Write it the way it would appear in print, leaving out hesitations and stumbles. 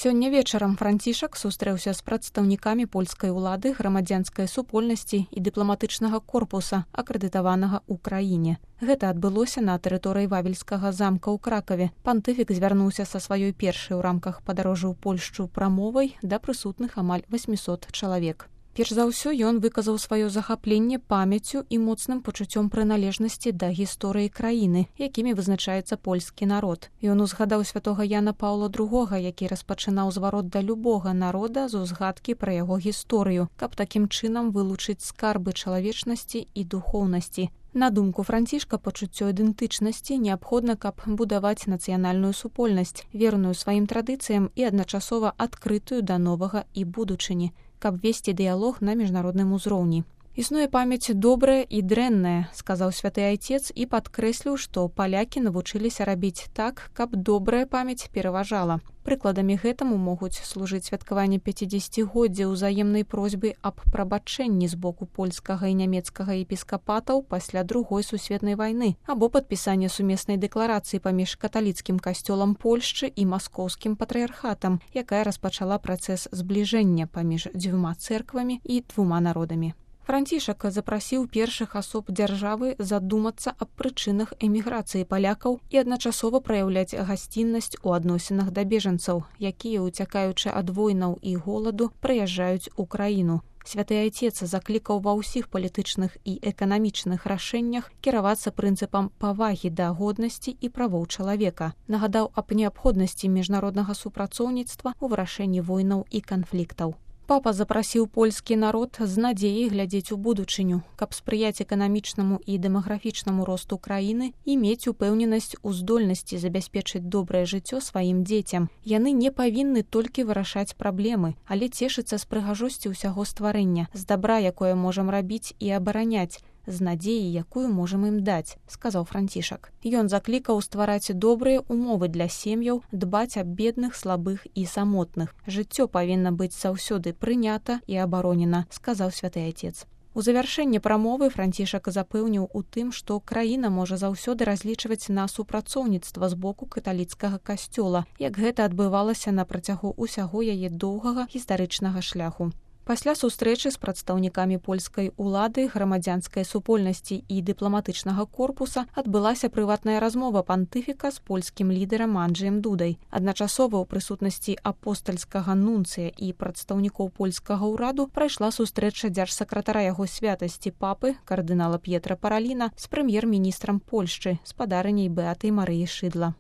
Сёння вечарам Францішак сустрэўся з прадстаўнікамі польскай улады, грамадзянскай супольнасці і дыпламатычнага корпуса, акрэдытаванага ў краіне. Гэта адбылося на тэрыторыі Вавельскага замка ў Кракаве. Пантыфік звярнуўся са сваёй першай у рамках падарожжа ў Польшчу прамовай да прысутных амаль 800 чалавек. Перш за ўсё ён выказаў сваё захапленне памяццю і моцным пачуццём прыналежнасці да гісторыі краіны, якімі вызначаецца польскі народ. Ён узгадаў святога Яна Паўла II, які распачынаў зварот да любога народа з узгадкі пра яго гісторыю, каб такім чынам вылучыць скарбы чалавечнасці і духоўнасці. На думку Францішка, пачуццё ідэнтычнасці неабходна, каб будаваць нацыянальную супольнасць, верную сваім традыцыям і адначасова адкрытую да новага і будучыні, каб весці дыялог на міжнародным узроўні. Існуе памяць добрая і дрэнная, сказаў святы айцец і падкрэсліў, што палякі навучыліся рабіць так, каб добрая памяць пераважала. Прыкладамі гэтаму могуць служыць святкаванне 50-годдзя ўзаемнай просьбы аб прабачэнні з боку польскага і нямецкага епіскапатаў пасля Другой сусветнай вайны або падпісанне сумеснай дэкларацыі паміж каталіцкім касцёлам Польшчы і маскоўскім патрыярхатам, якая распачала працэс збліжэння паміж дзвюма цэрквамі і двума народамі. Францішак запрасіў першых асоб дзяржавы задумацца аб прычынах эміграцыі палякаў і адначасова праяўляць гасціннасць у адносінах да бежанцаў, якія, уцякаючы ад войнаў і голаду, прыязджаюць у краіну. Святы айцец заклікаў ва ўсіх палітычных і эканамічных рашэннях кіравацца прынцыпам павагі да годнасці і правоў чалавека. Нагадаў аб неабходнасці міжнароднага супрацоўніцтва ў вырашэнні войнаў і канфліктаў. Папа запрасіў польскі народ з надзеяй глядзець у будучыню, каб спрыяць эканамічнаму і дэмаграфічнаму росту краіны і мець упэўненасць у здольнасці забяспечыць добрае жыццё сваім дзецям. Яны не павінны толькі вырашаць праблемы, але цешыцца з прыгажосці ўсяго стварэння, з дабра, якое можам рабіць і абараняць, з надзеяй, якую можам ім даць, сказаў Францішак. Ён заклікаў ствараць добрыя умовы для сем'яў, дбаць аб бедных, слабых і самотных. Жыццё павінна быць заўсёды прынята і абаронена, сказаў святы айцец. У завяршэнні прамовы Францішак запэўніў у тым, што краіна можа заўсёды разлічваць на супрацоўніцтва з боку каталіцкага касцёла, як гэта адбывалася на працягу ўсяго яе доўгага гістарычнага шляху. Пасля сустрэчы з прадстаўнікамі польскай улады, грамадзянскай супольнасці і дыпламатычнага корпуса адбылася прыватная размова пантыфіка з польскім лідарам Анджэем Дудай. Адначасова ў прысутнасці апостальскага нунцыя і прадстаўнікоў польскага ўраду прайшла сустрэча дзяржсакратара яго святасці папы, кардынала П'етра Параліна, з прэм'ер-міністрам Польшчы, спадарыняй Беатай Марыяй Шыдла.